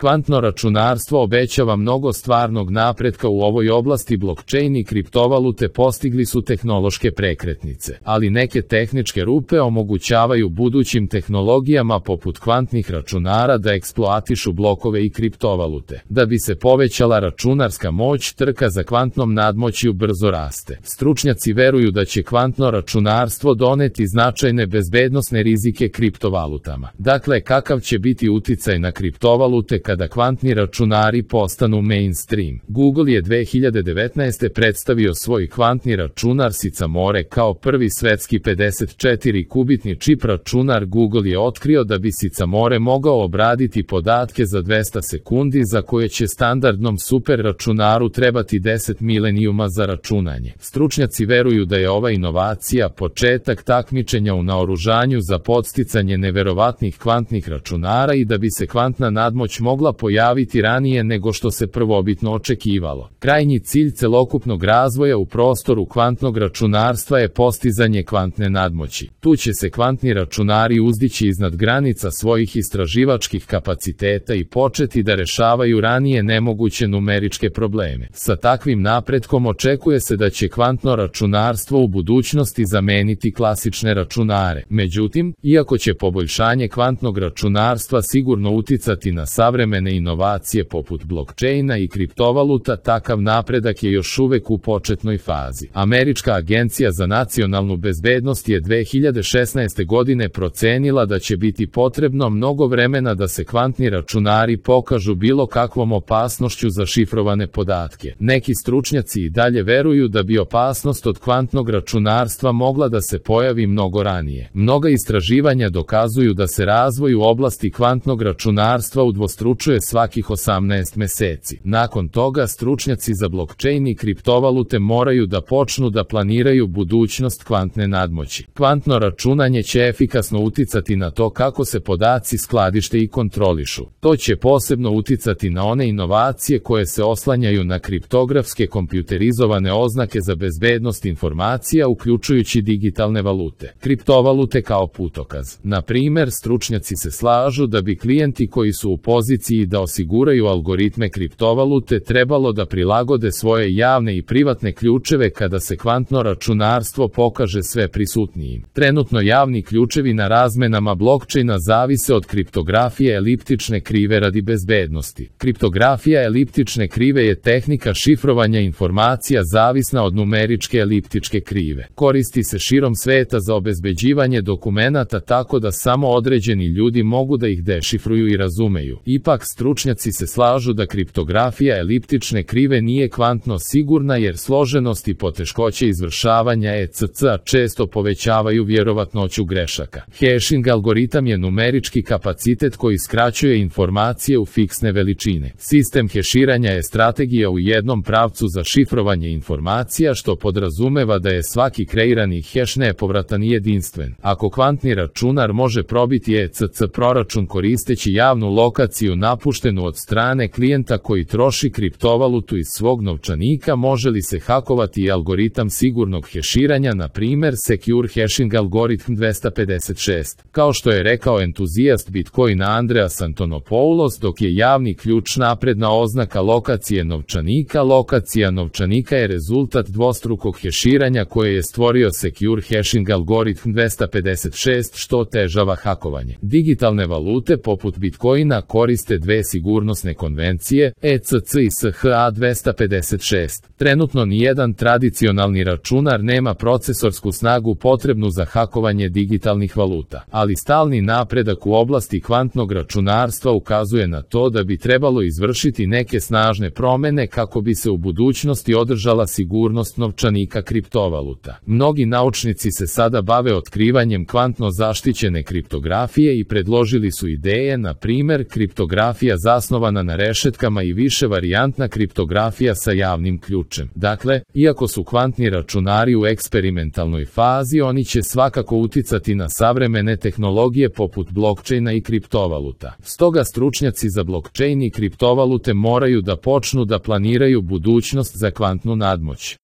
Kvantno računarstvo obećava mnogo stvarnog napretka u ovoj oblasti. Blockchain i kriptovalute postigli su tehnološke prekretnice, ali neke tehničke rupe omogućavaju budućim tehnologijama poput kvantnih računara da eksploatišu blokove i kriptovalute. Da bi se povećala računarska moć, trka za kvantnom nadmoćju brzo raste. Stručnjaci veruju da će kvantno računarstvo doneti značajne bezbednosne rizike kriptovalutama. Dakle, kakav će biti uticaj na kriptovalute kada kvantni računari postanu mainstream? Google je 2019. predstavio svoj kvantni računar Sycamore kao prvi svetski 54-kubitni čip računar. Google je otkrio da bi Sycamore mogao obraditi podatke za 200 sekundi, za koje će standardnom super računaru trebati 10 milenijuma za računanje. Stručnjaci veruju da je ova inovacija početak takmičenja u naoružanju za podsticanje neverovatnih kvantnih računara i da bi se kvantna nadmoć mogla pojaviti ranije nego što se prvobitno očekivalo. Krajnji cilj celokupnog razvoja u prostoru kvantnog računarstva je postizanje kvantne nadmoći. Tu će se kvantni računari uzdići iznad granica svojih istraživačkih kapaciteta i početi da rešavaju ranije nemoguće numeričke probleme. Sa takvim napretkom očekuje se da će kvantno računarstvo u budućnosti zameniti klasične računare. Međutim, iako će poboljšanje kvantnog računarstva sigurno uticati na savremene inovacije poput blockchaina i kriptovaluta, takav napredak je još uvek u početnoj fazi. Američka agencija za nacionalnu bezbednost je 2016. godine procenila da će biti potrebno mnogo vremena da se kvantni računari pokažu bilo kakvom opasnošću za šifrovane podatke. Neki stručnjaci i dalje veruju da bi opasnost od kvantnog računarstva mogla da se pojavi mnogo ranije. Mnoga istraživanja dokazuju da se razvoj u oblasti kvantnog računarstva udvostručuje svakih 18 meseci. Nakon toga, stručnjaci za blockchain i kriptovalute moraju da počnu da planiraju budućnost kvantne nadmoći. Kvantno računanje će efikasno uticati na to kako se podaci skladište i kontrolišu. To će posebno uticati na one inovacije koje se oslanjaju na kriptografske kompjuterizovane oznake za bezbednost informacija, uključujući digitalne valute. Kriptovalute kao putokaz. Na primer, stručnjaci se slažu da bi klijenti koji su u poziciji da osiguraju algoritme kriptovalute trebalo da prilagode svoje javne i privatne ključeve kada se kvantno računarstvo pokaže sve prisutnijim. Trenutno javni ključevi na razmenama blockchaina zavise od kriptografije eliptične krive radi bezbednosti. Kriptografija eliptične krive je tehnika šifrovanja informacija zavisna od numeričke eliptičke krive. Koristi se širom sveta za obezbeđivanje dokumenata tako da samo određeni ljudi mogu da ih dešifruju i razumeju. Ipak, stručnjaci se slažu da kriptografija eliptične krive nije kvantno sigurna jer složenost i poteškoće izvršavanja ECC-a često povećavaju vjerovatnoću grešaka. Hashing algoritam je numerički kapacitet koji skraćuje informacije u fiksne veličine. Sistem heširanja je strategija u jednom pravcu za šifrovanje informacija, što podrazumeva da je svaki kreirani heš nepovratan i jedinstven. Ako kvantni računar može probiti ECC proračun koristeći javnu lokaciju napuštenu od strane klijenta koji troši kriptovalutu iz svog novčanika, može li se hakovati i algoritam sigurnog heširanja, na primer Secure Hashing Algorithm 256? Kao što je rekao entuzijast Bitcoina Andreas Antonopoulos, dok je javni ključ napredna oznaka lokacije novčanika, lokacija novčanika je rezultat dvostrukog heširanja koje je stvorio Secure Hashing Algorithm 256, što otežava hakovanje. Digitalne valute poput Bitcoina koriste dve sigurnosne konvencije, ECC i SHA-256. Trenutno nijedan tradicionalni računar nema procesorsku snagu potrebnu za hakovanje digitalnih valuta, ali stalni napredak u oblasti kvantnog računarstva ukazuje na to da bi trebalo izvršiti neke snažne promene kako bi se u budućnosti održala sigurnost novčanika kriptovaluta. Mnogi naučnici se sada bave otkrivanjem kvantno zaštićene kriptografije i predložili su ideje, na primer kriptografija zasnovana na rešetkama i više varijantna kriptografija sa javnim ključem. Dakle, iako su kvantni računari u eksperimentalnoj fazi, oni će svakako uticati na savremene tehnologije poput blockchaina i kriptovaluta. Stoga stručnjaci za blockchain i kriptovalute moraju da počnu da planiraju budućnost za kvantnu nadmoć.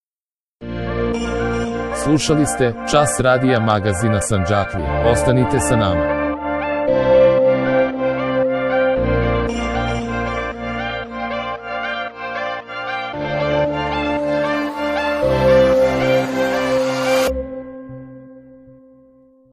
Slušali ste Čas radija magazina Sandžaklija. Ostanite sa nama.